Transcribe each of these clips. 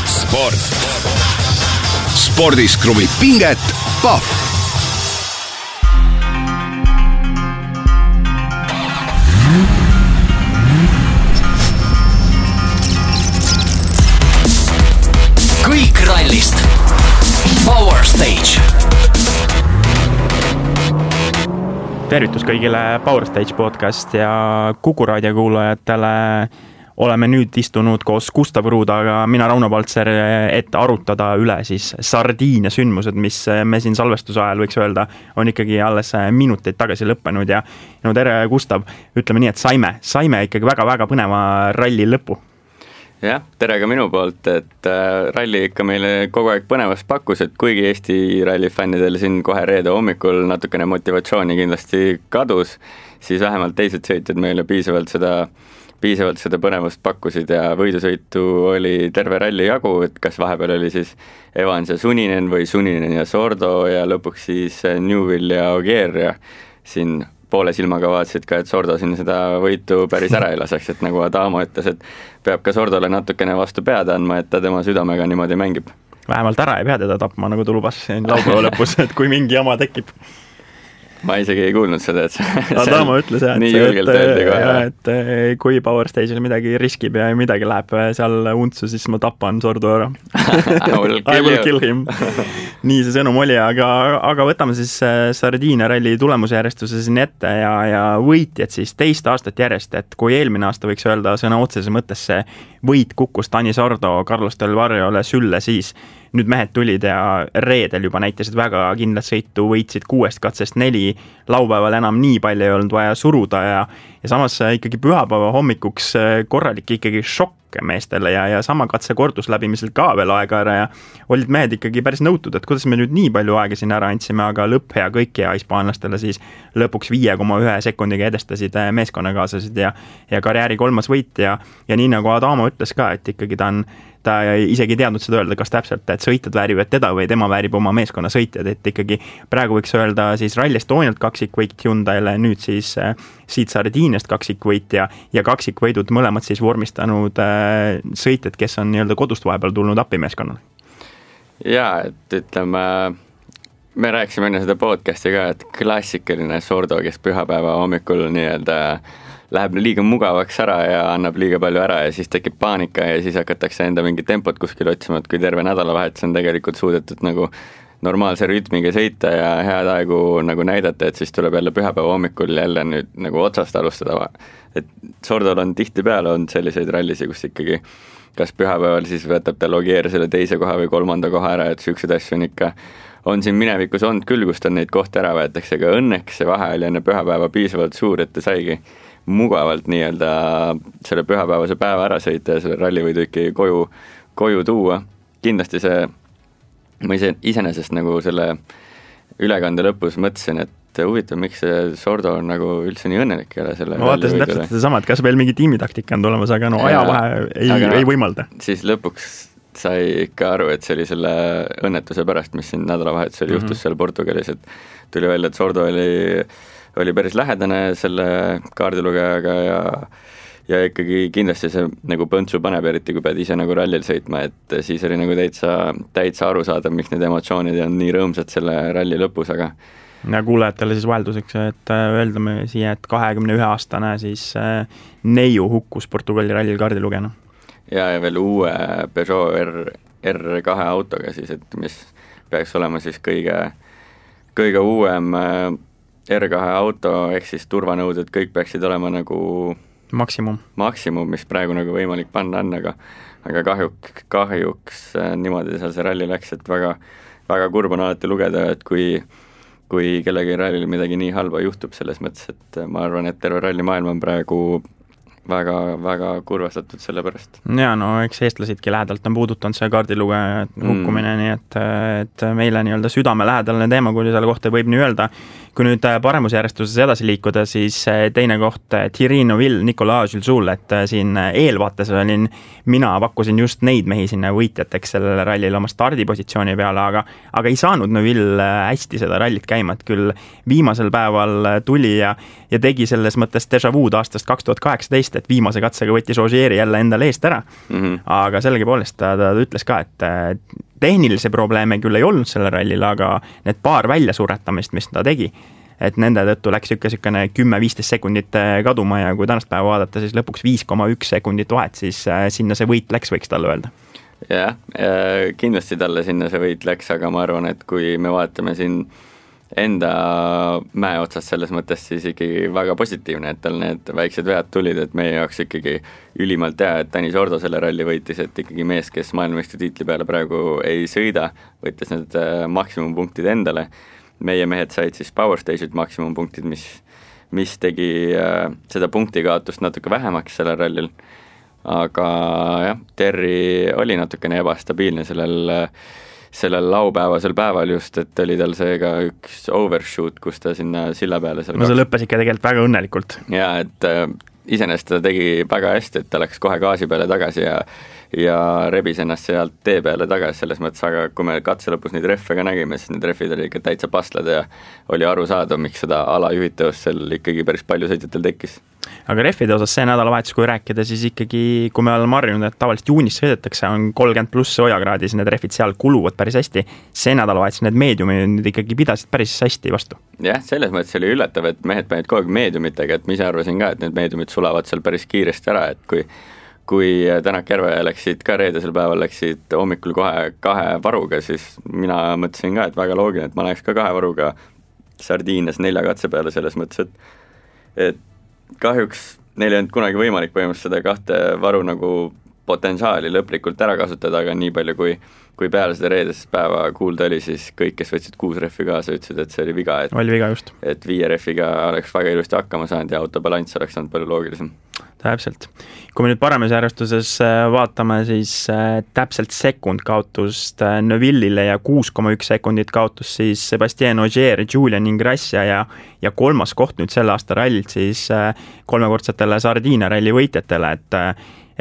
Sport. Spordis kruvib pinget Pahv. Kõik rallist. Power Stage. Tervitus kõigile Power Stage podcast ja Kuku raadio kuulajatele. Oleme nüüd istunud koos Gustav Ruudaga, mina Rauno Paltser, et arutada üle siis Sardiinia sündmused, mis me siin salvestuse ajal võiks öelda, on ikkagi alles minuteid tagasi lõppenud ja no tere Gustav, ütleme nii, et saime ikkagi väga-väga põneva ralli lõpu. Jah, tere ka minu poolt, et ralli ikka meile kogu aeg põnevast pakkus, et kuigi Eesti rallifännidel siin kohe reede hommikul natukene motivatsiooni kindlasti kadus, siis vähemalt teised sõitjad meile piisavalt seda põnevust pakkusid ja võidusõitu oli terve ralli jagu, et kas vahepeal oli siis Evans ja Suninen või Suninen ja Sordo ja lõpuks siis Newville ja Ogier ja siin poole silmaga vaatasid ka, et Sordo siin seda võitu päris ära ei laseks, et nagu Adamo ütles, et peab ka Sordole natukene vastu pead andma, et ta tema südamega niimoodi mängib. Vähemalt ära ei pea teda tapma, nagu tulubas laupäeva lõpus, et kui mingi jama tekib. Ma isegi ei kuulnud seda, et Adamo ütles, et kui Power Stage'il midagi riskib ja midagi läheb seal untsu, siis ma tapan Sordo ära. I will kill him. Nii see sõnum oli, aga võtame siis Sardiinia ralli tulemusjärjestuse siin ette ja võitjad siis teist aastat järjest, et kui eelmine aasta võiks öelda sõna otseses mõttes see võit kukkus Dani Sordo Carlos Del Varriole sülle, siis nüüd mehed tulid ja reedel juba näitasid väga kindlat sõitu, võitsid 6 katsest 4, laupäeval enam nii palju ei olnud vaja suruda ja samas ikkagi pühapäeva hommikuks korralik ikkagi šokk meestele ja sama katse kordusläbimisel ka veel aega ära ja olid mehed ikkagi päris nõutud, et kuidas me nüüd nii palju aega siin ära andsime, aga lõpp hea kõik ja hispaanlastele siis lõpuks 5,1 sekundiga edestasid meeskonnakaaslased ja karjääri 3. võit ja nii nagu Adamo ütles ka, et ikkagi ta isegi teadnud seda öelda, kas täpselt, et sõitjad väärivad teda või tema väärib oma meeskonna sõitjad, et ikkagi praegu võiks öelda siis Rally Estonialt kaksikvõit Hyundai'le, nüüd siis siit Sardiiniast kaksikvõit ja kaksikvõidud mõlemad siis vormistanud sõitjad, kes on nii-öelda kodust vahepeal tulnud appimeeskonnale. Jaa, et ütleme, me rääkisime enne seda podcasti ka, et klassikaline Sordo, kes pühapäeva hommikul nii-öelda läheb liiga mugavaks ära ja annab liiga palju ära ja siis tekib paanika ja siis hakatakse enda mingi tempot kuskil otsima, et kui terve nädalavahetus on tegelikult suudetud nagu normaalse rütmiga sõita ja head aegu nagu näidata, et siis tuleb jälle pühapäeva hommikul jälle nüüd nagu otsast alustada. Et Sordol on tihtipeale on selliseid rallisi, kus ikkagi kas pühapäeval siis võtab ta Ogier selle 2. koha või 3. koha ära, et sükseid asju on ikka on siin minevikus olnud küll, kus ta neid kohti ära võetakse, aga õnneks see vahe oli enne pühapäeva piisavalt suur, et ta saigi mugavalt nii-öelda selle pühapäevase päeva ära sõita ja selle rallivõidu ikkagi koju tuua. Kindlasti ma iseenesest nagu selle ülekande lõpus mõtlesin, et huvitav, miks see Sordo on nagu üldse nii õnnelik ei ole selle ma vaatasin täpselt seda sama, et kas veel mingi tiimitaktika on tulemas, aga ajavahe ei võimalda. Siis lõpuks sai ikka aru, et see oli selle õnnetuse pärast, mis siin nädalavahetusel juhtus seal Portugalis, et tuli välja, et Sordo oli päris lähedane selle kaardilugejaga ja ikkagi kindlasti see nagu põntsu paneb, eriti kui pead ise nagu rallil sõitma, et siis oli nagu täitsa aru saada, miks need emotsioonid on nii rõõmsad selle ralli lõpus, aga ja kuulajatele siis vahelduseks, et öeldame siia, et 21-aastane siis neiu hukkus Portugali rallil kaardilugejana. Ja veel uue Peugeot R2 autoga siis, et mis peaks olema siis kõige uuem R2 auto, ehk siis turvanõuded, kõik peaksid olema nagu maksimum, mis praegu nagu võimalik panna on, aga kahjuks niimoodi seal see ralli läks, et väga, väga kurb on alati lugeda, et kui kellegi rallil midagi nii halba juhtub selles mõttes, et ma arvan, et terve ralli maailm on praegu väga, väga kurvastatud selle pärast. Ja no eks eestlasidki lähedalt on puudutanud see kaardilugeja hukkumine, nii et meile nii-öelda südame lähedalne teema, kui selle kohta võib nii öelda. kui nüüd paremusjärjestuses edasi liikuda, siis teine koht Thierry Neuville, Nicolas Julsul, et siin eelvaates olin, mina pakkusin just neid mehi sinna võitjateks sellele rallile oma stardipositsiooni peale, aga ei saanud Neuville hästi seda rallit käima, et küll viimasel päeval tuli ja tegi selles mõttes déjà vu'd aastast 2018, et viimase katsega võttis Ogieri jälle endale eest ära, aga sellegipoolest ta ütles ka, et tehnilisi probleeme küll ei olnud selle rallil, aga need paar väljasuretamist, mis ta tegi, et nende tõttu läks niisugune 10-15 sekundit kaduma ja kui tänast päeva vaadata, siis lõpuks 5,1 sekundit vahet, siis sinna see võit läks, võiks talle öelda. Jah, kindlasti talle sinna see võit läks, aga ma arvan, et kui me vaatame siin enda mäe otsast selles mõttes, siis ikkagi väga positiivne, et tal need väiksed vead tulid, et meie jaoks ikkagi ülimalt hea, et Tanis Ordo selle ralli võitis, et ikkagi mees, kes maailmameistri tiitli peale praegu ei sõida, võttis need maksimumpunktid endale. Meie mehed said siis Power Stage'id maksimumpunktid, mis tegi seda punktikaotust natuke vähemaks sellel rallil. Aga jah, Terry oli natukene ebastabiilne sellel laupäevasel päeval just, et oli tal see ka üks overshoot, kus ta sinna silla peale no see lõppes ikka tegelikult väga õnnelikult. Ja, et iseenesest ta tegi väga hästi, et ta läks kohe gaasi peale tagasi ja rebis ennast sealt tee peale tagasi selles mõttes, aga kui me katse lõpus neid reffe ka nägime, siis need refid oli ikka täitsa paslad ja oli aru saada, miks seda alajuhitavust seal ikkagi päris palju sõitjatel tekkis. Aga refide osas see nädalavahetus, kui rääkida, siis ikkagi, kui me oleme harjunud, et tavaliselt juunis sõidetakse, on 30+ soojakraadis, need refid seal kuluvad päris hästi. See nädalavahetus need meediumid ikkagi pidasid päris hästi vastu. Jah, selles mõttes oli üllatav, et mehed panid kogu aeg meediumitega, et ma ise arvasin ka, et need meediumid sulavad seal päris kiiresti ära, et kui Tänak Järve läksid ka reedesel päeval, läksid hommikul kohe 2 varuga, siis mina mõtlesin ka, et väga loogiline, et ma läheks ka 2 varuga Sardiinias 4 katse peale selles mõttes, et kahjuks neil ei olnud kunagi võimalik põhimõtteliselt seda 2 varu nagu potentsiaali lõplikult ära kasutada, aga nii palju kui peale seda reedest päeva kuulda oli, siis kõik, kes võtsid 6 reffi kaasa, ütlesid, et see oli viga, oli viga just. Et 5 reffiga oleks väga ilusti hakkama saanud ja autobalanss oleks olnud palju loogilisem. Täpselt. Kui me nüüd paremusjärjestuses vaatame, siis täpselt sekund kaotust Neuvillile ja 6,1 sekundit kaotus siis Sebastien Ogier, Julian Ingrassia ja 3. koht nüüd selle aasta rallilt siis 3-kordsetele Sardiinia ralli võitjatele, et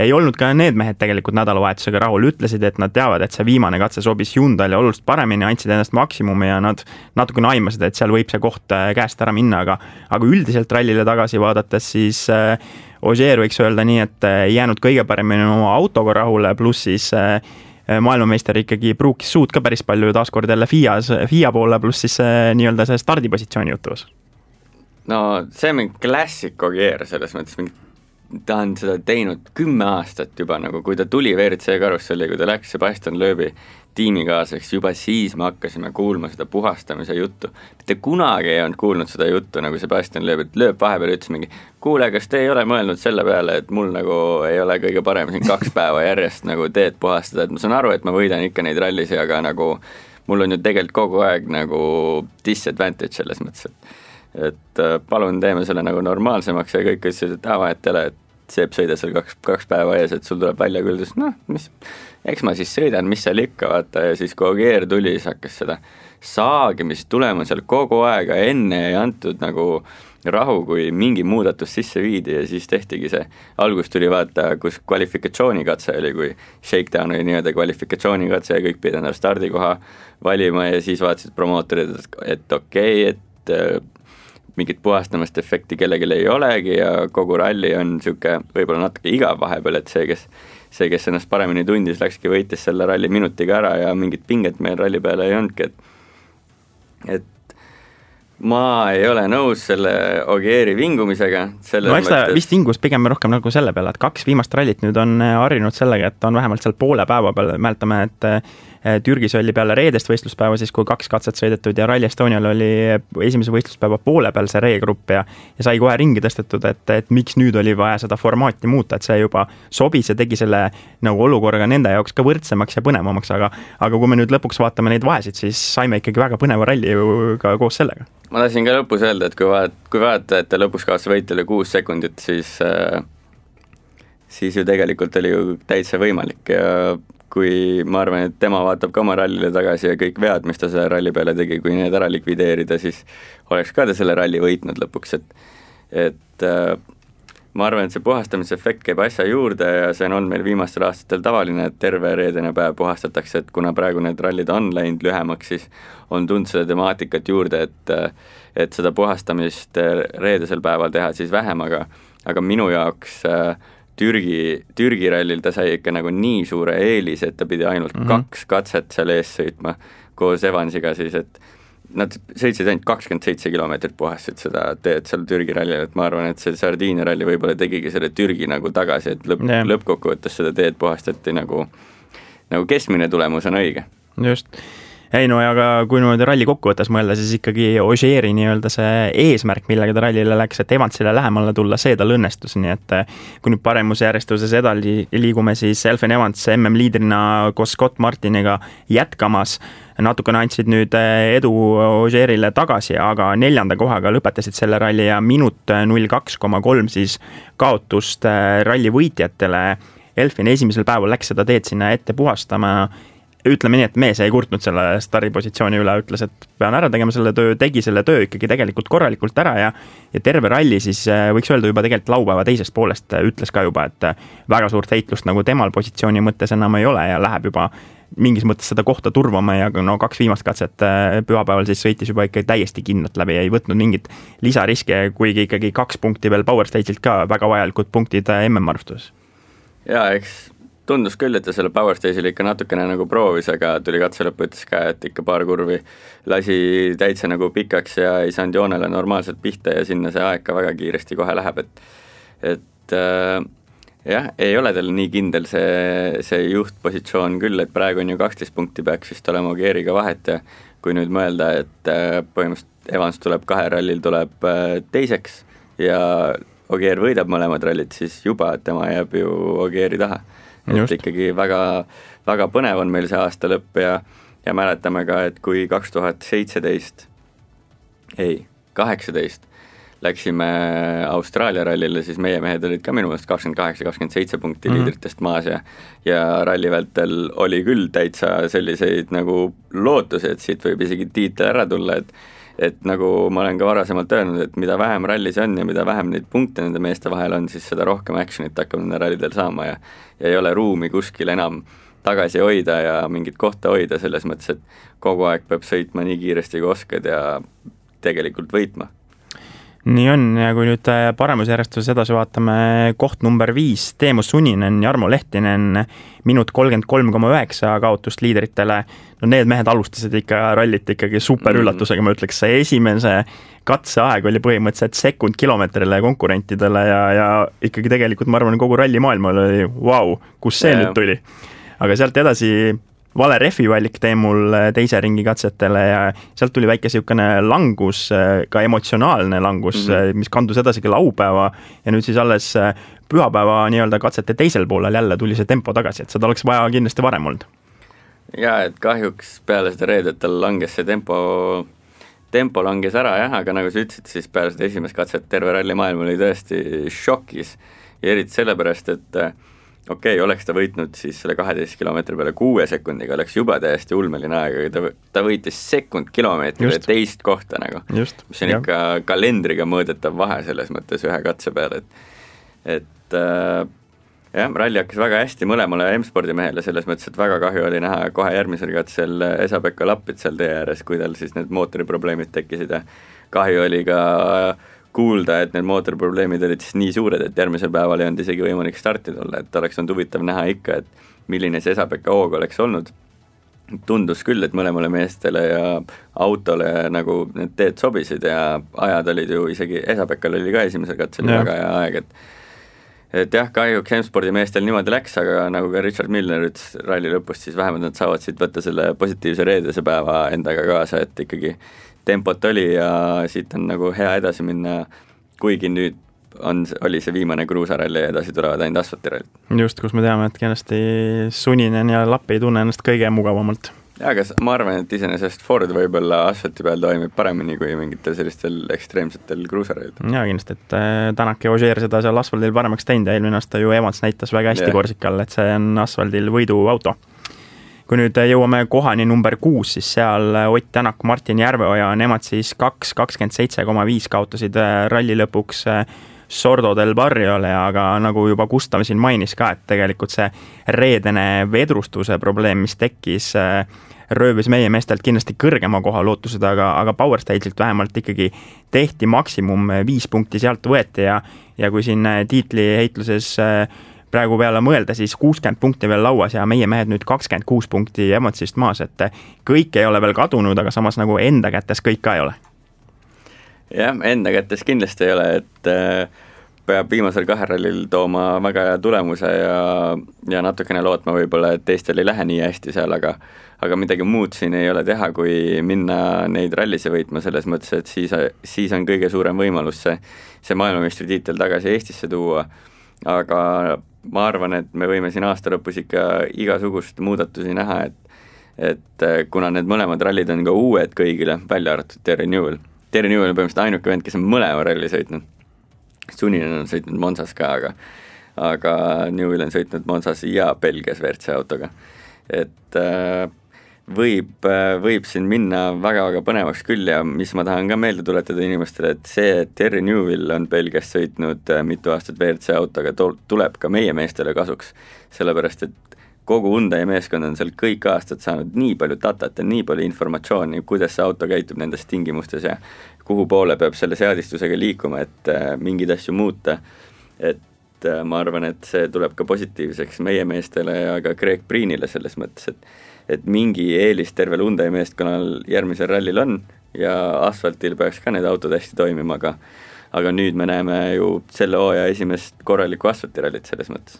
ei olnud ka need mehed tegelikult nädalavahetusega rahul, ütlesid, et nad teavad, et see viimane katse sobis Hyundai'le oluliselt paremini, andsid ennast maksimumi ja nad natukene aimasid, et seal võib see koht käest ära minna, aga üldiselt rallile tagasi vaadates siis Ogier võiks öelda nii, et jäänud kõige paremini oma autoga rahule, pluss siis maailmameister ikkagi pruukis suud ka päris palju taaskord jälle FIA poole, pluss siis nii-öelda see stardipositsiooni jutus. No see on klassik Ogier selles mõttes, ta on seda teinud 10 aastat juba, nagu kui ta tuli WRC karusselli, kui ta läks Sebastian Loebi tiimikaaseks, juba siis me hakkasime kuulma seda puhastamise juttu. Te kunagi ei olnud kuulnud seda juttu nagu Sebastian Loeb, et Loeb vahepeal ütles mingi, kuule, kas te ei ole mõelnud selle peale, et mul nagu ei ole kõige parem siin 2 päeva järjest nagu teed puhastada, et ma saan aru, et ma võidan ikka neid rallisi, aga nagu mul on ju tegelikult kogu aeg nagu disadvantage selles mõttes, et palun teeme selle nagu normaalsemaks ja kõik ütlesid, et vahetele, et Seep sõida seal 2 päeva ees, et sul tuleb välja küll, eks ma siis sõidan, mis seal ikka, vaata, ja siis kui Ogier tuli, siis hakkas seda saagimist tulema seal kogu aega, enne ei antud nagu rahu, kui mingi muudatus sisse viidi ja siis tehtigi see, algus tuli vaata, kus kvalifikatsioonikatse oli, kui shakedown oli nii-öelda kvalifikatsioonikatse ja kõik pidid endale stardikoha valima ja siis vaatasid promootorid, et okei, et mingit puhastamast efekti kellelgi ei olegi ja kogu ralli on niisugune võib-olla natuke igav vahepeal, et see, kes ennast paremini tundis, läkski võitis selle ralli minutiga ära ja mingit pinget meil ralli peale ei olnudki, et ma ei ole nõus selle Ogieri vingumisega. No eks ta vist vingus pigem rohkem nagu selle peale, et 2 viimast rallit nüüd on harjunud sellega, et on vähemalt seal poole päeva peal, mäletame, et Türgis oli peale reedest võistluspäeva, siis kui 2 katset sõidetud ja Rally Estonial oli esimese võistluspäeva poole peal see reegrupp ja sai kohe ringi tõstetud, et miks nüüd oli vaja seda formaati muuta, et see juba sobis ja tegi selle nagu olukorraga nende jaoks ka võrdsemaks ja põnevamaks, aga kui me nüüd lõpuks vaatame neid vahesid, siis saime ikkagi väga põneva ralli ka koos sellega. Ma tahtsin ka lõpus öelda, et kui vaata, et ta lõpus kaotas võitjale 6 sekundit, siis ju tegelikult oli ju täitsa võimalik ja kui ma arvan, et tema vaatab ka oma rallile tagasi ja kõik vead, mis ta selle ralli peale tegi, kui need ära likvideerida, siis oleks ka ta selle ralli võitnud lõpuks, et ma arvan, et see puhastamise efekt käib asja juurde ja see on olnud meil viimastel aastatel tavaline, et terve reedene päev puhastatakse, et kuna praegu need rallid on läinud lühemaks, siis on tulnud seda temaatikat juurde, et seda puhastamist reedesel päeval teha siis vähem, aga minu jaoks Türgi rallil ta sai ikka nagu nii suure eelise, et ta pidi ainult 2 katset seal ees sõitma koos Evansiga siis, et nad sõitsid ainult 27 kilomeetrit puhastasid seda teed seal Türgi rallil, et ma arvan, et see Sardiinia ralli võib-olla tegigi selle Türgi nagu tagasi, et lõppkokkuvõttes seda teed puhastati nagu keskmine tulemus on õige. Just. Ei no, aga kui nüüd ralli kokkuvõttes mõelda, siis ikkagi Ogieri nii-öelda see eesmärk, millega ta rallile läks, et Evansile lähemale tulla, see tal õnnestus, nii et kui nüüd paremuse järjestuses edasi liigume, siis Elfyn Evans MM-liidrina koos Scott Martiniga jätkamas, natukene andsid nüüd edu Ogierile tagasi, aga 4. kohaga lõpetasid selle ralli ja minut 02,3 siis kaotust ralli võitjatele. Elfyn esimesel päeval läks seda teed sinna ette puhastama, ütleme nii, et mees ei kurtnud selle staripositsiooni üle, ütles, et pean ära tegema selle töö, tegi selle töö ikkagi tegelikult korralikult ära ja terve ralli siis võiks öelda juba tegelikult laupäeva teisest poolest ütles ka juba, et väga suurt heitlust nagu temal positsiooni mõttes enam ei ole ja läheb juba mingis mõttes seda kohta turvama ja 2 viimast katset pühapäeval siis sõitis juba ikka täiesti kindlalt läbi, ei võtnud mingit lisariske, kuigi ikkagi 2 punkti veel Power Stage'ilt ka väga vajalikud punktid MM-arvustuses. Jaa, eks tundus küll, et ta selle Power Stage'il ikka natukene nagu proovis, aga tuli katse lõppu, ütles ka, et ikka paar kurvi lasi täitsa nagu pikaks ja ei saanud joonele normaalselt pihta ja sinna see aeg ka väga kiiresti kohe läheb, et jah, ei ole tal nii kindel see juhtpositsioon küll, et praegu on ju 12 punkti peaks vist olema Ogieriga vahet ja kui nüüd mõelda, et põhimõtteliselt Evans tuleb 2 rallil tuleb teiseks ja Ogier võidab mõlemad rallid, siis juba tema jääb ju Ogieri taha. Et ikkagi väga, väga põnev on meil see aasta lõpp ja mäletame ka, et kui 2018 läksime Austraalia rallile, siis meie mehed olid ka minu meelest 28-27 punkti liidritest maas ja ralli vältel oli küll täitsa selliseid nagu lootusi, et siit võib isegi tiitel ära tulla, et nagu ma olen ka varasemalt öelnud, et mida vähem rallis on ja mida vähem neid punkte nende meeste vahel on, siis seda rohkem actionit hakkab nende rallidel saama ja ei ole ruumi kuskil enam tagasi hoida ja mingit kohta hoida selles mõttes, et kogu aeg peab sõitma nii kiiresti kui oskad ja tegelikult võitma. Nii on ja kui nüüd paremusjärjestuses edasi vaatame koht number 5, Teemu Suninen, Jarmo Lehtinen, minut 33,9 kaotust liidritele. No need mehed alustasid ikka rallit ikkagi super üllatusega, ma ütleks, see esimese katseaeg oli põhimõtteliselt sekund kilomeetrile konkurentidele ja ikkagi tegelikult ma arvan, kogu ralli maailmal oli wow, kus see nüüd tuli. Aga sealt edasi vale refi valik Teemul teise ringi katsetele ja sealt tuli väike siukene langus, ka emotsionaalne langus, mis kandus edasi ka laupäeva ja nüüd siis alles pühapäeva nii-öelda katsete teisel poolel jälle tuli see tempo tagasi, et seda oleks vaja kindlasti varem olnud. Jaa, et kahjuks peale seda reedetel langes see tempo langes ära jah, aga nagu sa ütlesid, siis peale seda esimest katset terve ralli maailm oli tõesti šokis ja eriti sellepärast, et oleks ta võitnud siis selle 12 kilomeetri peale 6 sekundiga, oleks juba täiesti ulmeline aeg, aga ta võitis sekund kilomeetrile teist kohta nagu, mis on ikka kalendriga mõõdetav vahe selles mõttes ühe katse peale, et ralli hakkas väga hästi mõlemale M-spordi mehele selles mõttes, et väga kahju oli näha kohe järgmisel katsel Esa-Pekka Lappit seal tee ääres, kui tal siis need mootoriprobleemid tekkisid ja kahju oli ka kuulda, et need mootoriprobleemid olid siis nii suured, et järgmisel päeval ei olnud isegi võimalik starti tulla, et oleks olnud huvitav näha ikka, et milline see Esa-Pekka hoog oleks olnud. Tundus küll, et mõlemale meestele ja autole nagu need teed sobisid ja ajad olid ju isegi, Esa-Pekkal oli ka esimesel katsel väga hea aeg, et jah, kahjuks M-spordi meestel niimoodi läks, aga nagu ka Richard Milner ütles ralli lõpust, siis vähemalt nad saavad siit võtta selle positiivse reedese päeva endaga kaasa, et ikkagi tempot oli ja siit on nagu hea edasi minna, kuigi nüüd oli see viimane kruusaralli ja edasi tulevad ainult asfaltirallid. Just, kus me teame, et kindlasti Suninen ja Lapp ei tunne ennast kõige mugavamalt. aga ma arvan, et iseenesest Ford võib-olla asfalti peal toimib paremini kui mingitel sellistel ekstreemsetel kruuserail. Jaa, kindlasti, et Tänak ja Ogier seda seal asfaldil paremaks teinud ja eelmine aasta ju Evans näitas väga hästi Korsikal, et see on asfaldil võiduauto. Kui nüüd jõuame kohani number 6, siis seal Ott Tänak, Martin Järveoja, nemad siis 2.27,5 kaotasid ralli lõpuks Sordo del Barriole, aga nagu juba Gustav siin mainis ka, et tegelikult see reedene vedrustuse probleem, mis tekkis, röövis meie meestelt kindlasti kõrgema koha lootused, aga Power Stage'ilt vähemalt ikkagi tehti maksimum 5 punkti sealt võeti ja kui siin tiitli heitluses praegu peale mõelda, siis 60 punkti veel lauas ja meie mehed nüüd 26 punkti Evansist maas, et kõik ei ole veel kadunud, aga samas nagu enda kätes kõik ka ei ole. Jah, enda kätes kindlasti ei ole, et peab viimasel 2 rallil tooma väga hea tulemuse ja natukene lootma võib-olla, et teistel ei lähe nii hästi seal, aga midagi muud siin ei ole teha, kui minna neid rallise võitma selles mõttes, et siis on kõige suurem võimalus see maailmameistritiitel tagasi Eestisse tuua, aga ma arvan, et me võime siin aasta lõpus ikka igasugust muudatusi näha, et kuna need mõlemad rallid on ka uued kõigile, välja arvatud Terry Newell. Terry Newell on põhimõtteliselt ainuke vend, kes on mõlema ralli sõitnud. Suninen on sõitnud Monsas ka, aga Newell on sõitnud Monsas ja Belgias WRC autoga. Et võib siin minna väga-väga põnevaks küll ja mis ma tahan ka meelde tuletada inimestele, et see, et Terry Newell on Belgias sõitnud mitu aastat WRC autoga, tuleb ka meie meestele kasuks, sellepärast et kogu Hyundai meeskond on seal kõik aastad saanud nii palju datat ja nii palju informatsiooni, kuidas see auto käitub nendes tingimustes ja kuhu poole peab selle seadistusega liikuma, et mingeid asju muuta, et ma arvan, et see tuleb ka positiivseks meie meestele ja ka Greg Priinile selles mõttes, et mingi eelis tervel Hyundai meeskonnal järgmisel rallil on ja asfaltil peaks ka need autod hästi toimima, aga nüüd me näeme ju selle hooaja esimest korralikku asfaltirallit selles mõttes.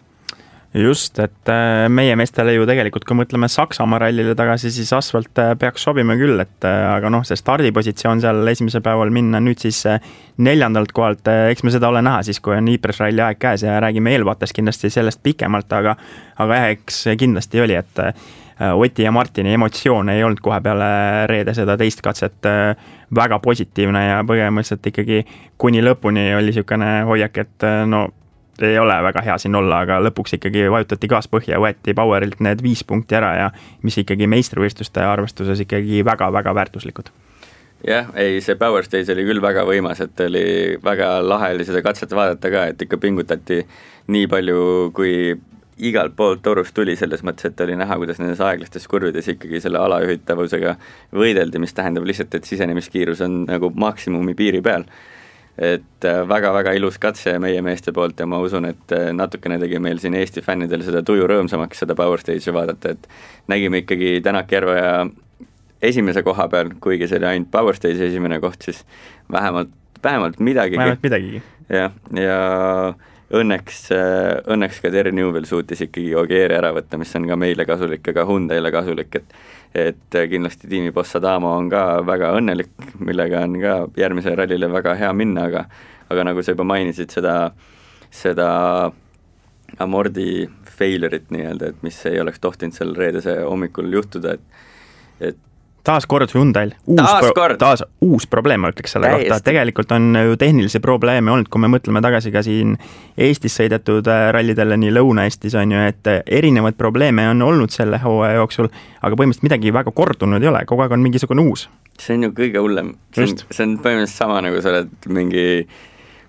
Just, et meie meestele ju tegelikult, kui mõtleme Saksamaa rallile tagasi, siis asfalt peaks sobima küll, et aga see stardipositsioon seal esimesel päeval minna nüüd siis 4. kohalt, eks me seda ole näha siis, kui on Ypres ralli aeg käes ja räägime eelvaates kindlasti sellest pikemalt, aga eks kindlasti oli, et Oti ja Martini emotsioon ei olnud kohe peale reede seda teist katset väga positiivne ja põhimõtteliselt ikkagi kuni lõpuni oli niisugune hoiak, et ei ole väga hea siin olla, aga lõpuks ikkagi vajutati gaas põhja ja võeti Powerilt need 5 punkti ära ja mis ikkagi meistrivõistluste arvestuses ikkagi väga-väga väärtuslikud. Jah, see Power Stage oli küll väga võimas, et oli väga lahe oli seda katset vaadata ka, et ikka pingutati nii palju, kui igalt poolt torust tuli selles mõttes, et oli näha, kuidas nendes aeglastes kurvides ikkagi selle alajuhitavusega võideldi, mis tähendab lihtsalt, et sisenemiskiirus on nagu maksimumi piiri peal. Et väga-väga ilus katse meie meeste poolt ja ma usun, et natukene tegi meil siin Eesti fännidel seda tuju rõõmsamaks seda Power Stage'i vaadata, et nägime ikkagi Tänak Järveoja esimese koha peal, kuigi see oli ainult Power Stage'i esimene koht, siis vähemalt midagigi. Vähemalt midagigi. Ja õnneks ka Terry Newell suutis ikkagi Ogieri ära võtta, mis on ka meile kasulik ja ka Hyundaile kasulik, et kindlasti tiimi Boss Adamo on ka väga õnnelik, millega on ka järgmise rallile väga hea minna, aga nagu sa juba mainisid seda amordi failurit nii-öelda, et mis ei oleks tohtinud seal reedese hommikul juhtuda, et taas kord Hyundail uus probleem, ma ütleks selle kohta, et tegelikult on ju tehnilisi probleeme olnud, kui me mõtleme tagasi ka siin Eestis sõidetud rallidele nii Lõuna-Eestis on ju, et erinevaid probleeme on olnud selle hooaja jooksul, aga põhimõtteliselt midagi väga kordunud ei ole, kogu aeg on mingisugune uus. See on ju kõige hullem, see on põhimõtteliselt sama nagu sa oled mingi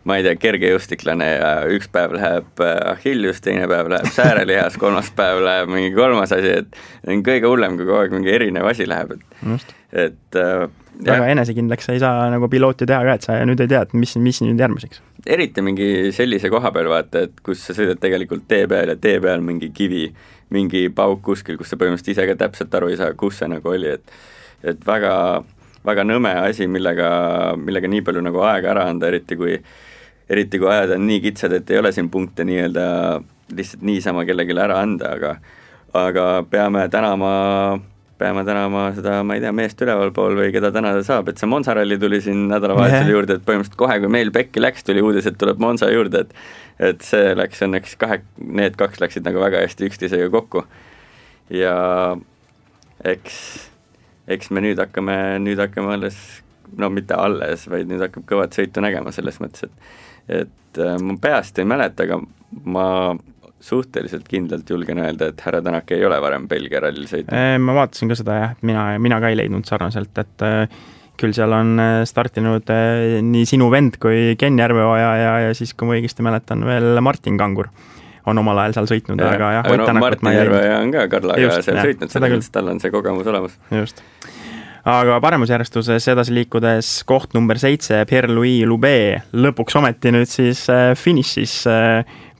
ma ei tea, kergejõustiklane ja üks päev läheb Achillius, teine päev läheb säärelihas, kolmas päev läheb mingi kolmas asi, et on kõige hullem, kui kogu aeg mingi erinev asi läheb, et väga enesekindlaks ei saa nagu pilooti teha ka, et sa nüüd ei tea, et mis nüüd järgmiseks. Eriti mingi sellise koha peal vaata, et kus sa sõidad tegelikult tee peal ja tee peal mingi kivi, mingi pauk kuskil, kus sa põhimõtteliselt ise ka täpselt aru ei saa, kus see nagu oli, et väga, väga nõme asi, millega nii palju nagu aega ära anda, eriti kui ajad on nii kitsad, et ei ole siin punkte nii-öelda lihtsalt niisama kellegile ära anda, aga peame tänama seda, ma ei tea, meest ülevalpool või keda tänada saab, et see Monza ralli tuli siin nädalavahetusel juurde, et põhimõtteliselt kohe, kui meil pekki läks, tuli uudis, et tuleb Monza juurde, et see läks õnneks need 2 läksid nagu väga hästi üksteisega kokku ja eks me nüüd hakkame alles, no mitte alles, vaid nüüd hakkab kõvat sõitu nägema selles mõttes, et ma peast ei mäleta, aga ma suhteliselt kindlalt julgen öelda, et härra Tänak ei ole varem Belgia rallil sõitnud. Ma vaatasin ka seda jah, et mina ka ei leidnud sarnaselt, et küll seal on startinud nii sinu vend kui Ken Järveoja ja siis, kui ma õigesti mäletan, veel Martin Kangur on omal ajal seal sõitnud, aga jah, Ott Tänakut Martin Järveoja on ka Karlaga seal sõitnud, selles tal on see kogemus olemas. Just. Aga paremusjärjestuses edasi liikudes koht number 7, Pierre-Louis Loubet, lõpuks ometi nüüd siis finišis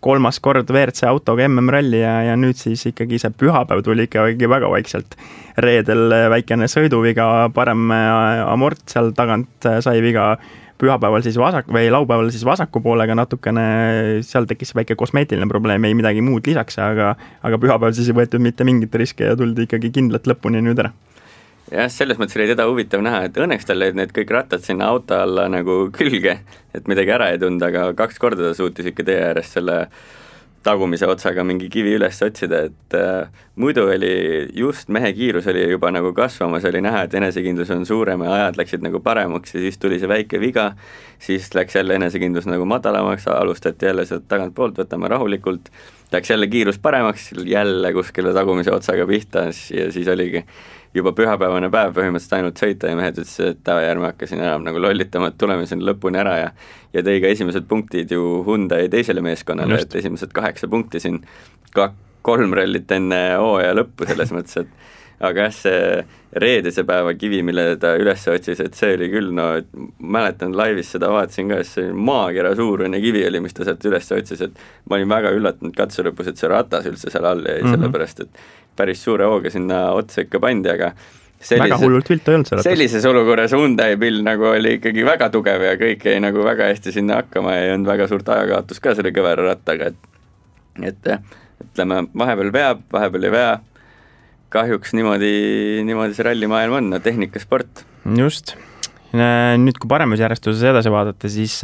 3. kord WRC autoga MM-ralli ja nüüd siis ikkagi see pühapäev tuli ikkagi väga vaikselt. Reedel väikene sõiduviga, parem amort seal tagant sai viga, pühapäeval siis laupäeval siis vasaku poolega natukene, seal tekkis väike kosmeetiline probleem, ei midagi muud lisaks, aga pühapäeval siis ei võetud mitte mingit riske ja tuldi ikkagi kindlalt lõpuni nüüd ära. Jah, selles mõttes oli teda huvitav näha, et õnneks tal lõid need kõik rattad sinna auto alla nagu külge, et midagi ära ei tunda, aga 2 korda ta suutis ikka tee ääres selle tagumise otsaga mingi kivi üles otsida, et muidu oli just mehe kiirus oli juba nagu kasvamas, oli näha, et enesekindlus on suurem ja ajad läksid nagu paremaks ja siis tuli see väike viga, siis läks jälle enesekindlus nagu madalamaks, alustati jälle sealt tagant poolt, võtame rahulikult, läks jälle kiirus paremaks, jälle kuskile tagumise otsaga pihta ja siis oligi juba pühapäevane päev põhimõtteliselt ainult sõita ja mehed ütles, et järgmine hakkasin enam nagu lollitama, et tuleme siin lõpuni ära ja tõi ka esimesed punktid ju Hyundai teisele meeskonnale, et esimesed 8 punkti siin 3 rallit enne hooaja lõppu selles mõttes, et aga jah, see reedese päeva kivi, mille ta üles otsis, et see oli küll, no mäletan laivis seda vaatasin ka, see maakera suurune kivi oli, mis ta sealt üles otsis, et ma olin väga üllatunud katse lõpus, et see ratas üldse seal all jäi, sellepärast et päris suure hooga sinna otsa ikka pandi, aga väga hullult viltu ei olnud see ratas. Sellises olukorras Hyundai pill nagu oli ikkagi väga tugev ja kõik jäi nagu väga hästi sinna hakkama ja ei olnud väga suurt ajakaotus ka selle kõvera rattaga, et ütleme, vahepeal veab, vahepeal ei vea, kahjuks niimoodi see rallimaailm on, tehnikasport. Just. Nüüd, kui paremusjärjestuses edasi vaadata, siis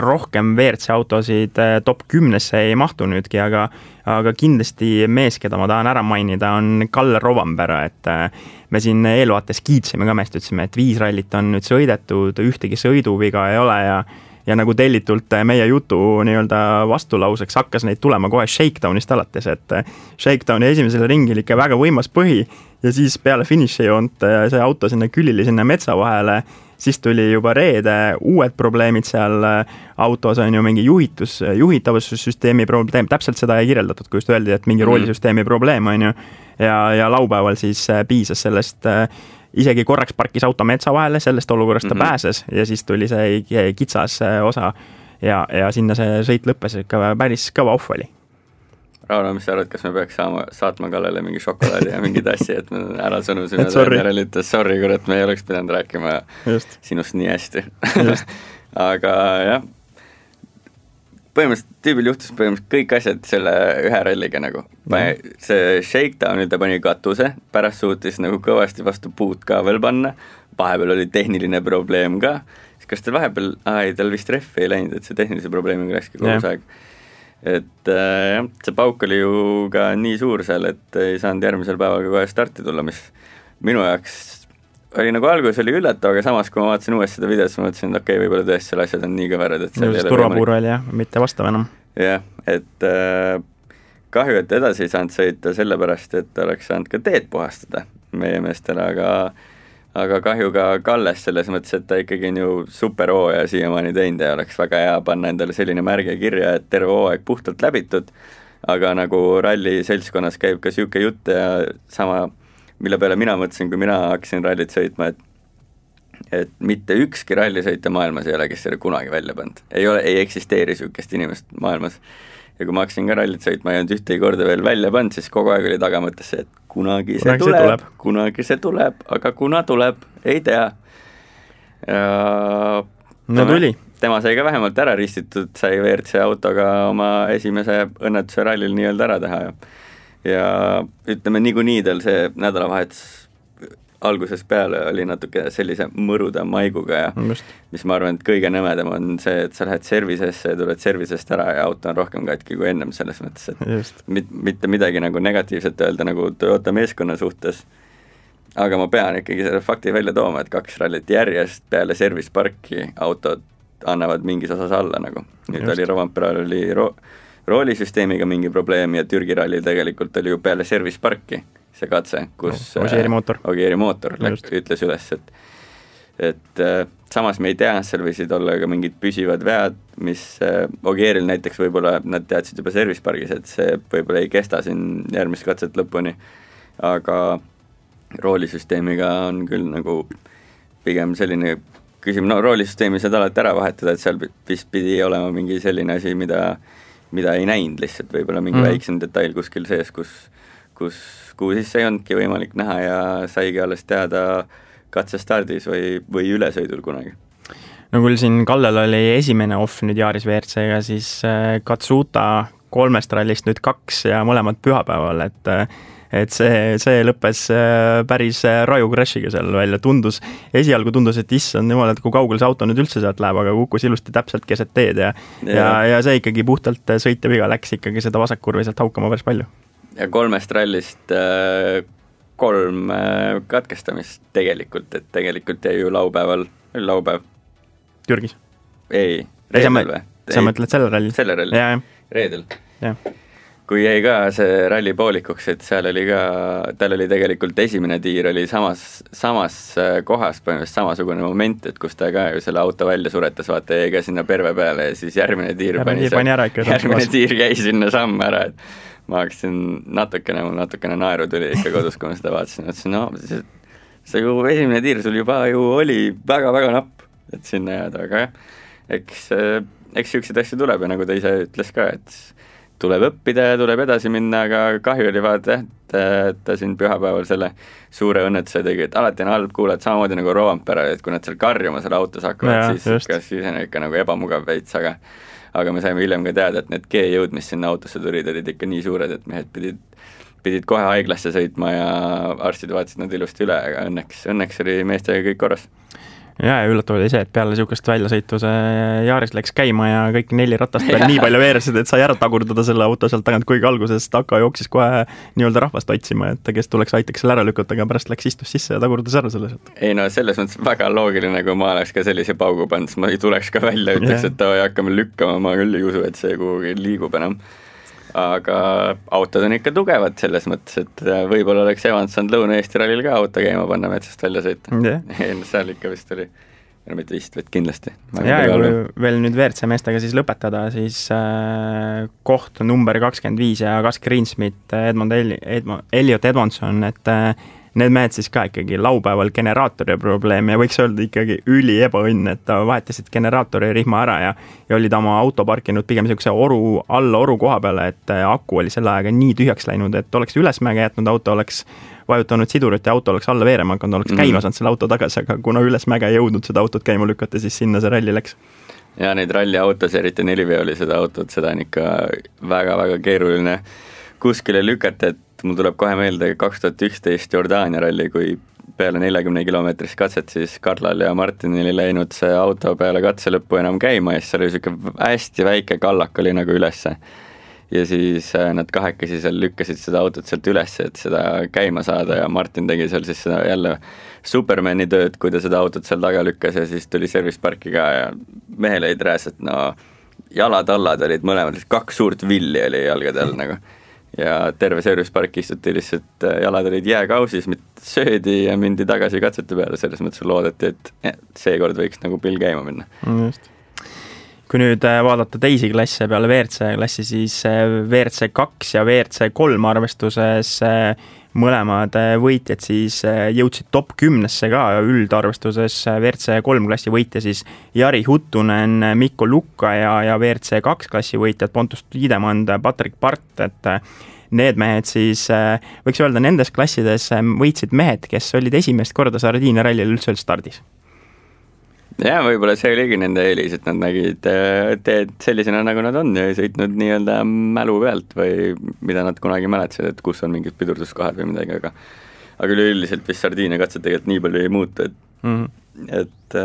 rohkem WRC autosid top 10-sse ei mahtu nüüdki, aga kindlasti mees, keda ma tahan ära mainida, on Kalle Rovanpera, et me siin eelvaates kiitsime ka meest, ütlesime, et 5 rallit on nüüd sõidetud, ühtegi sõiduviga ei ole ja nagu tellitult meie jutu nii-öelda vastulauseks hakkas neid tulema kohe Shakedownist alates, et Shakedowni esimesele ringil ikka väga võimas põhi ja siis peale finišijoont see auto sinna külili sinna metsa vahele, siis tuli juba reede uued probleemid seal autos, on ju mingi juhitavussüsteemi probleem, täpselt seda ei kirjeldatud, kui just öeldi, et mingi roolisüsteemi probleem, on ju, ja laupäeval siis piisas sellest, isegi korraks parkis auto metsa vahele, sellest olukorrast ta pääses ja siis tuli see kitsas osa ja sinna see sõit lõppes, ikka päris kõva off oli. Rauno, mis sa arvad, kas me peaks saatma Kallele mingi šokolaadi ja mingi tassi, et me ära sõnusime sorry, kurat, me ei oleks pidanud rääkima sinust nii hästi. Aga jah, põhimõtteliselt tüübil juhtus kõik asjad selle ühe ralliga nagu. See Shakedownil ta pani katuse, pärast suutis nagu kõvasti vastu puud ka veel panna, vahepeal oli tehniline probleem ka, kas tal vahepeal, tal vist rehvi ei läinud, et see tehnilise probleemiga läkski kogu aeg. Et jah, see pauk oli ju ka nii suur seal, et ei saanud järgmisel päeval kohe starti tulla, mis minu jaoks oli nagu alguses oli üllatav, aga samas kui ma vaatasin uuesti seda videot, siis ma mõtlesin, et okei, võib-olla tõesti selle asjad on nii kõverad, et just turvapuur oli jah, mitte vastav enam. Jah, et kahju, et edasi ei saanud sõita sellepärast, et oleks saanud ka teed puhastada meie meestele, aga kahju ka Kalles selles mõttes, et ta ikkagi on ju super hooaja siiamaani teinud ja oleks väga hea panna endale selline märge kirja, et terve hooaeg puhtalt läbitud, aga nagu ralli seltskonnas käib ka siuke jutt ja sama, mille peale mina mõtlesin, kui mina hakkasin rallit sõitma, et mitte ükski rallisõitja maailmas ei ole, kes selle kunagi välja pannud. Ei eksisteeri siukest inimest maailmas. Ja kui ma hakkasin ka rallit sõitma ja ühtegi korda veel välja pannud, siis kogu aeg oli tagamõttes see, et kunagi see tuleb, aga kuna tuleb, ei tea. Tuli. Tema sai ka vähemalt ära ristitud, sai WRC autoga oma esimese õnnetuse rallil nii-öelda ära teha ja ütleme niikuinii tal see nädalavahetus algusest peale oli natuke sellise mõruda maiguga ja mis ma arvan, et kõige nõmedam on see, et sa lähed servisesse ja tuled servisest ära ja auto on rohkem katki kui ennem selles mõttes, et mitte midagi nagu negatiivset öelda nagu Toyota meeskonna suhtes, aga ma pean ikkagi selle fakti välja tooma, et 2 rallit järjest peale service parki autod annavad mingis osas alla nagu. Nüüd oli Rovanperal oli roolisüsteemiga mingi probleem ja Türgi rallil tegelikult oli ju peale service parki see katse, kus Ogieri mootor ütles üles, et samas me ei tea, seal võisid olla ka mingid püsivad vead, mis Ogieril näiteks võib-olla nad teadsid juba service pargis, et see võib-olla ei kesta siin järgmist katset lõpuni, aga roolisüsteemiga on küll nagu pigem selline küsimus, no roolisüsteemi saad alati ära vahetada, et seal vist pidi olema mingi selline asi, mida ei näinud lihtsalt, võib-olla mingi väiksem detail kuskil sees, kuhu siis ei olnudki võimalik näha ja saigi alles teada katsestardis või ülesõidul kunagi. No küll siin Kallel oli esimene off nüüd Yaris WRC-ga, siis Katsuta 3 rallist nüüd 2 ja mõlemad pühapäeval, et see lõppes päris raju crashiga seal välja, esialgu tundus, et issand jumal, et kui kaugel see auto nüüd üldse sealt läheb, aga kukkus ilusti täpselt keset teed ja see ikkagi puhtalt sõitja viga läks ikkagi seda vasakkurvi sealt haukama päris palju. Ja 3 rallist 3 katkestamist tegelikult, et tegelikult jäi ju laupäev. Türgis? Ei, reedel või? Sa mõtled selle ralli? Selle ralli, reedel. Kui jäi ka see ralli poolikuks, et seal oli ka, tal oli tegelikult esimene tiir oli samas kohas, põhimõtteliselt samasugune moment, et kus ta ka ju selle auto välja suretas, vaata jäi ka sinna perve peale ja siis järgmine tiir jäi sinna samm ära, et ma hakkasin mul natukene naeru tuli ikka kodus, kui ma seda vaatasin, et no see ju esimene tiir sul juba ju oli väga-väga napp, et sinna jääda, aga jah, eks siukseid asju tuleb ja nagu ta ise ütles ka, et tuleb õppida ja tuleb edasi minna, aga kahju oli vaata, et ta siin pühapäeval selle suure õnnetuse tegi, et alati on halb kuulata samamoodi nagu Rovanperal, et kui nad seal karjuma selle autos hakkavad, siis on ikka nagu ebamugav veits, aga me saime hiljem ka teada, et need G-jõud, mis sinna autosse tulid, olid ikka nii suured, et mehed pidid kohe haiglasse sõitma ja arstid vaatasid nad ilusti üle, aga õnneks oli meestega kõik korras. Ja üllatav oli see, et peale niisugust väljasõitu see Yaris läks käima ja kõik 4 ratast peal nii palju veersid, et sai ära tagurdada selle auto sealt tagant, kuigi alguses Taka jooksis kohe nii-öelda rahvast otsima, et kes aitaks selle ära lükata, aga pärast läks istus sisse ja tagurdas ära selle sealt. Ei no selles mõttes väga loogiline, kui ma oleks ka sellise paugu pannud, ma ei tuleks ka välja, ütleks, et hakkame lükkama, ma küll ei usu, et see kuhugi liigub enam. Aga autod on ikka tugevad selles mõttes, et võib-olla oleks Evans saanud Lõuna-Eesti rallil ka auto käima panna metsast välja sõita. Seal ikka vist oli, mitte vist, vaid kindlasti. Ja kui veel nüüd WRC meestega siis lõpetada, siis koht number 25 ja Gus Greensmith, Elliot Edmondson, et need mehed siis ka ikkagi laupäeval generaatori probleem ja võiks öelda ikkagi üli ebaõnn, et ta vahetasid generaatori rihma ära ja oli ta oma auto parkinud pigem niisuguse alla oru koha peale, et aku oli selle ajaga nii tühjaks läinud, et oleks ülesmäge jätnud auto, oleks vajutanud sidurit ja auto oleks alla veerema hakanud, oleks käima saanud selle auto tagasi, aga kuna ülesmäge ei jõudnud seda autot käima lükata, siis sinna see ralli läks. Ja neid ralliautos, eriti 4-veolised autot, seda on ikka väga-väga keeruline kuskile lükata, et mul tuleb kohe meelde 2011 Jordaania ralli, kui peale 40 kilomeetrist katset siis Karlal ja Martinil ei läinud see auto peale katse lõppu enam käima ja siis oli niisugune hästi väike kallak oli nagu ülesse. Ja siis nad kahekesi seal lükkasid seda autot sealt ülesse, et seda käima saada ja Martin tegi seal siis seda jälle Supermani tööd, kui ta seda autot seal taga lükkas ja siis tuli service parki ka ja mehel olid rääs, et no jalatallad olid mõlemad, 2 suurt villi oli jalgade all nagu. Ja terve service park istuti lihtsalt, jalad olid jääkausis, söödi ja mindi tagasi katsete peale, selles mõttes loodeti, et seekord võiks nagu pill käima minna. Just. Kui nüüd vaadata teisi klasse peale WRC klassi, siis WRC 2 ja WRC 3 arvestuses mõlemad võitjad siis jõudsid top 10-sse ka üldarvestuses. WRC 3 klassi võitja siis Jari Huttunen, Mikko Lukka ja WRC 2 klassi võitjad Pontus Tiidemand, Patrick Part, et need mehed siis, võiks öelda, nendes klassides võitsid mehed, kes olid esimest korda Sardiinia rallil üldse stardis. Ja võib-olla see oligi nende eelis, et nad nägid teed sellisena, nagu nad on ja ei sõitnud nii-öelda mälu pealt või mida nad kunagi mäletasid, et kus on mingid pidurduskohad või midagi, aga üleüldiselt vist Sardiinia katsed tegelikult nii palju ei muutu, et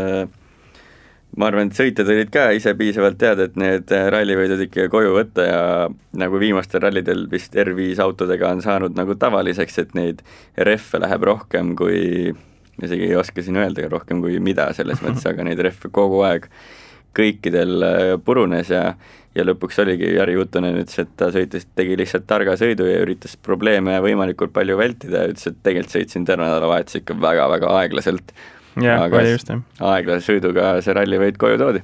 ma arvan, et sõitjad olid ka ise piisavalt teada, et need rallivõidud ikka koju võtta ja nagu viimastel rallidel vist R5 autodega on saanud nagu tavaliseks, et neid rehve läheb rohkem kui, isegi ei oska siin öelda rohkem kui mida selles mõttes, aga neid rehve kogu aeg kõikidel purunes ja lõpuks oligi Jari Juttunen ütles, et ta tegi lihtsalt targa sõidu ja üritas probleeme võimalikult palju vältida ja ütles, et tegelikult sõitsin terve nädalavahetus ikka väga-väga aeglaselt. Aga aeglase sõiduga see rallivõit koju toodi.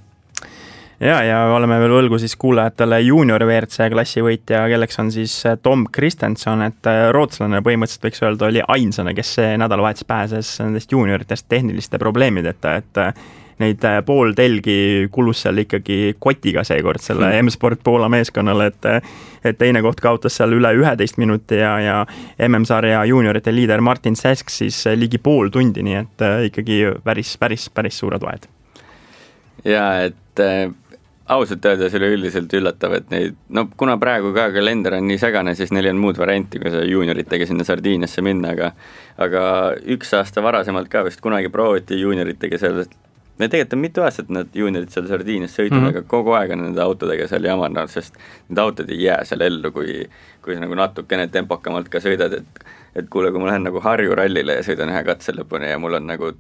Ja oleme veel võlgu siis kuulajatele junior WRC klassi võitja, kelleks on siis Tom Kristenson, et rootslane põhimõtteliselt võiks öelda oli ainsana, kes see nädalavahetus pääses nendest junioritest tehniliste probleemideta, et neid pool telgi kulus seal ikkagi kotiga seekord selle M-Sport Poola meeskonnale, et teine koht kaotas seal üle 11 minuti ja MM-sarja juniorite liider Martin Sask siis ligi pool tundi, nii et ikkagi päris suured vahed. Ja et ausalt öeldes oli üldiselt üllatav, et neid, kuna praegu ka kalender on nii segane, siis neil on muud varianti, kui see junioritega sinna Sardiiniasse minna, aga üks aasta varasemalt ka vist kunagi prooviti junioritega seal, me tegelikult on mitu aastat need juniorid seal Sardiinias sõidnud, aga kogu aeg on nende autodega seal jamanud, sest need autod ei jää seal ellu, kui sa nagu natukene tempokamalt ka sõidad, et kuule, kui ma lähen nagu Harju rallile ja sõidan ühe katse lõpuni ja mul on nagu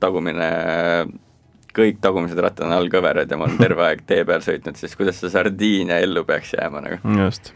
kõik tagumised rattad on allkõverad ja ma olen terve aeg tee peal sõitnud, siis kuidas see Sardiinia ellu peaks jääma nagu. Just.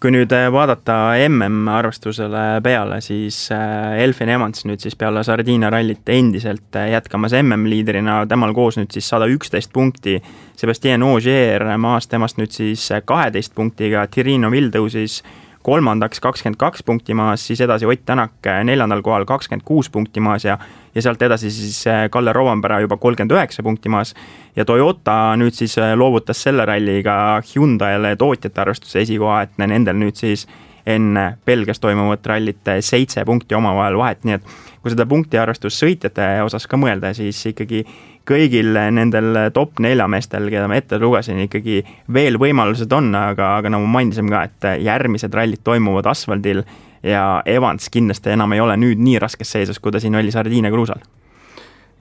Kui nüüd vaadata MM-arvestusele peale, siis Elfyn Evans nüüd siis peale Sardiinia rallit endiselt jätkamas MM-liiderina, temal koos nüüd siis 111 punkti, Sébastien Ogier maas temast nüüd siis 12 punktiga, Thierry Neuville tõusis kolmandaks 22 punkti maas, siis edasi Ott Tänak 4. kohal 26 punkti maas ja sealt edasi siis Kalle Rovanpera juba 39 punkti maas ja Toyota nüüd siis loovutas selle ralliga Hyundai'le tootjate arvestuse esikoha, et nendel nüüd siis enne Belgias toimuvat rallit 7 punkti omavahel vahet, nii et kui seda punkti arvestus sõitjate osas ka mõelda, siis ikkagi kõigil nendel top 4 meestel, keda ma ette lugesin, ikkagi veel võimalused on, aga nagu mainisin ka, et järgmised rallid toimuvad asfaldil ja Evans kindlasti enam ei ole nüüd nii raskes seisus, kui ta siin oli Sardiinia kruusal.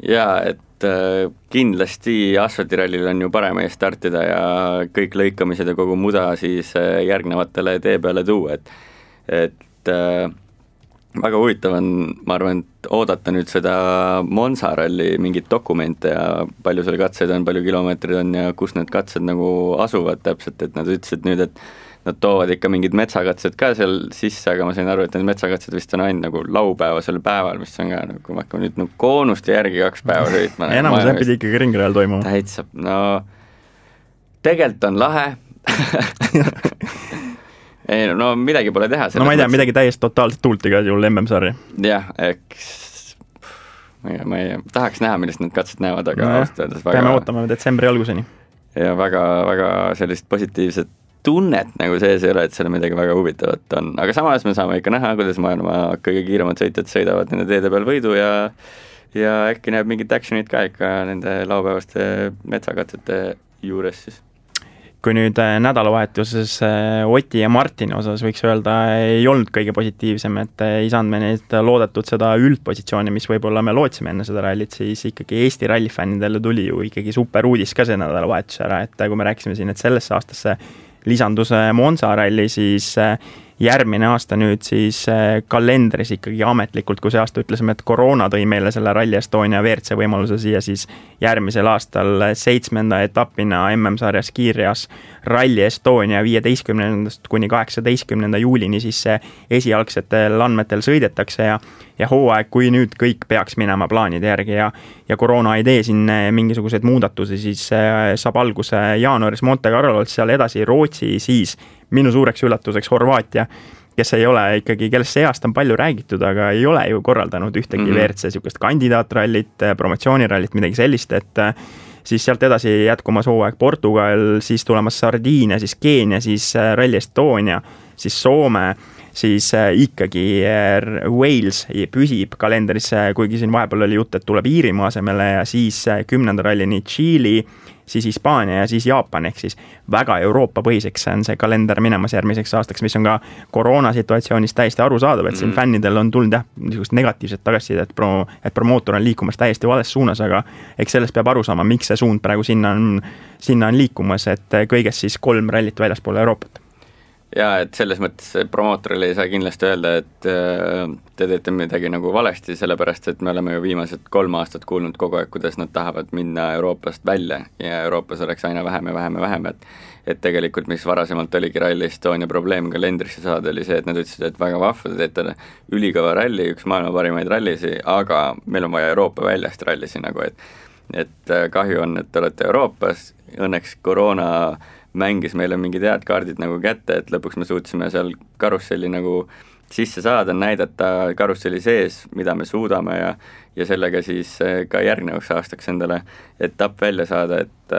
Ja, et kindlasti asfaltirallil on ju parem ees startida ja kõik lõikamised ja kogu muda siis järgnevatele tee peale tuua, et väga huvitav on, ma arvan, et oodata nüüd seda Monza ralli mingit dokumente ja palju seal katseid on, palju kilomeetrid on ja kus need katsed nagu asuvad täpselt, et nad ütlesid nüüd, et nad toovad ikka mingid metsakatsed ka seal sisse, aga ma sain aru, et need metsakatsed vist on ainult nagu laupäevasel päeval, mis on ka nagu, kui ma hakkan nüüd nagu koonuste järgi 2 päeva sõitma. Enamus pidi ikkagi ringrajal toimuma. Täitsa, tegelikult on lahe. Ei, midagi pole teha. Ma ei tea, midagi täiesti totaalselt tuulti ka juhul MM-sarja. Jah, ma ei tahaks näha, millest need katsed näevad, aga aastades väga... Peame ootama detsembri alguseni. Ja väga sellist positiivset tunnet nagu sees ei ole, et seal midagi väga huvitavat on. Aga samas me saame ikka näha, kuidas maailma kõige kiiremad sõitjad sõidavad nende teede peal võidu ja äkki näeb mingit actionit ka ikka nende laupäevaste metsakatsete juures siis. Kui nüüd nädalavahetuses Oti ja Martini osas võiks öelda, ei olnud kõige positiivsem, et ei saanud me neid loodetud seda üldpositsiooni, mis võib-olla me lootsime enne seda rallit, siis ikkagi Eesti rallifännidele tuli ju ikkagi super uudis ka see nädalavahetus ära, et kui me rääkisime siin, et sellesse aastasse lisandus Monza ralli, siis järgmine aasta nüüd siis kalendris ikkagi ametlikult, kui see aasta ütlesime, et koroona tõi meile selle Rally Estonia WRC võimaluse siia, siis järgmisel aastal 7. etapina MM-sarjas kiirjas Rally Estonia 15. kuni 18. juulini siis esialgsetel andmetel sõidetakse ja hooaeg, kui nüüd kõik peaks minema plaanide järgi ja koroona ei tee siin mingisuguseid muudatusi, siis saab alguse jaanuaris Monte Carlolt, seal edasi Rootsi, siis minu suureks üllatuseks Horvaatia, kes ei ole ikkagi, kellest see aasta on palju räägitud, aga ei ole ju korraldanud ühtegi WRC sihukest kandidaatrallit, promotsioonirallit, midagi sellist, et siis sealt edasi jätkumas hooaeg Portugal, siis tulemas Sardiinia, siis Keenia, siis Rally Estonia, siis Soome, siis ikkagi Wales püsib kalendris, kuigi siin vahepeal oli jutt, et tuleb Iirimaa asemele ja siis 10. rallini Tšiili siis Hispaania ja siis Jaapan, ehk siis väga Euroopa põhiseks on see kalender minemas järgmiseks aastaks, mis on ka koroonasituatsioonis täiesti arusaadav, et siin fännidel on tulnud niisugust negatiivset tagasisidet, et promootor on liikumas täiesti vales suunas, aga eks sellest peab aru saama, miks see suund praegu sinna on liikumas, et kõigest siis 3 rallit väljaspool Euroopat. Jaa, et selles mõttes promootorile ei saa kindlasti öelda, et te teete midagi nagu valesti, sellepärast et me oleme ju viimased 3 aastat kuulnud kogu aeg, kuidas nad tahavad minna Euroopast välja ja Euroopas oleks aina vähem ja vähem ja vähem, et tegelikult mis varasemalt oligi Rally Estonia probleem kalendrisse saada, oli see, et nad ütlesid, et väga vahva, te teete ülikõva ralli, üks maailma parimaid rallisi, aga meil on vaja Euroopa väljast rallisi nagu, et kahju on, et te olete Euroopas, õnneks koroona mängis meile mingid head kaardid nagu kätte, et lõpuks me suutsime seal karusselli nagu sisse saada, näidata karusselli sees, mida me suudame ja sellega siis ka järgnevaks aastaks endale etapp välja saada, et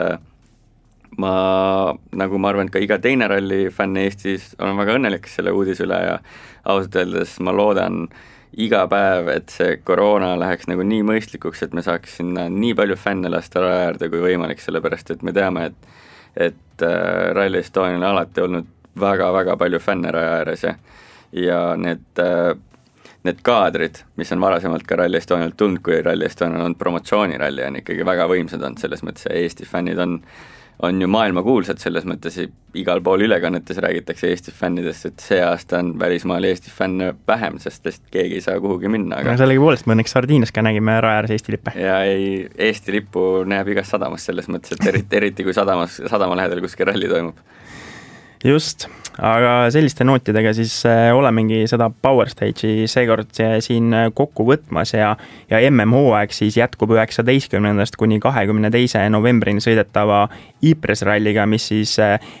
ma arvan, et ka iga teine ralli fänn Eestis on väga õnnelik selle uudise üle ja ausalt öeldes ma loodan iga päev, et see koroona läheks nagu nii mõistlikuks, et me saaks sinna nii palju fänne lasta raja äärde kui võimalik, sellepärast et me teame, et Rally Estonial on alati olnud väga-väga palju fänne raja ääres ja need kaadrid, mis on varasemalt ka Rally Estonialt tulnud, kui Rally Estonial on promotsiooniralli, on ikkagi väga võimsad olnud, selles mõttes Eesti fännid on ju maailmakuulsad, selles mõttes igal pool ülekannetes räägitakse Eesti fännidest, et see aasta on välismaal Eesti fänne vähem, sest keegi ei saa kuhugi minna. Aga sellegi poolest me õnneks Sardiinias ka nägime raja ääres Eesti lippe. Ja Eesti lippu näeb igas sadamas selles mõttes, et eriti kui sadama lähedal kuskil ralli toimub. Just, aga selliste nootidega siis olemegi seda Power Stage'i seekord siin kokku võtmas ja MM-hooaeg siis jätkub 19. kuni 22. novembrini sõidetava Ypres ralliga, mis siis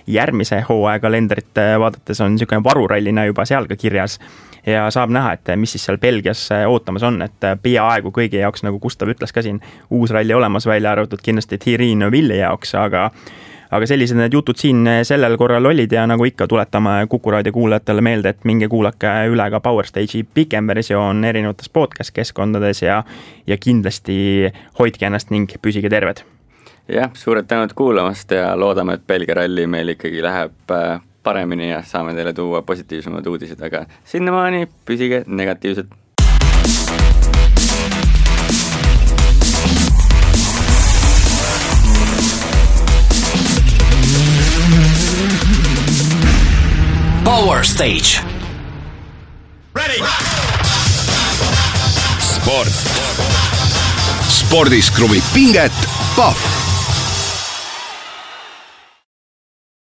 järgmise hooaja kalendrit vaadates on niisugune varurallina juba seal ka kirjas ja saab näha, et mis siis seal Belgias ootamas on, et peaaegu kõigi jaoks, nagu Gustav ütles ka siin, uus ralli olemas välja arvatud kindlasti Thierry Neuville'i jaoks, aga sellised need jutud siin sellel korral olid ja nagu ikka tuletame Kuku Raadio kuulajatele meelde, et minge kuulake üle ka Power Stage'i pikem versioon erinevates podcast-keskkondades ja kindlasti hoidke ennast ning püsige terved. Jah, suured tänud kuulamast ja loodame, et Belgia ralli meil ikkagi läheb paremini ja saame teile tuua positiivsemad uudised, aga sinnamaani püsige negatiivsed. Power Stage. Ready. Sport. Spordis kruvib pinget Pahv.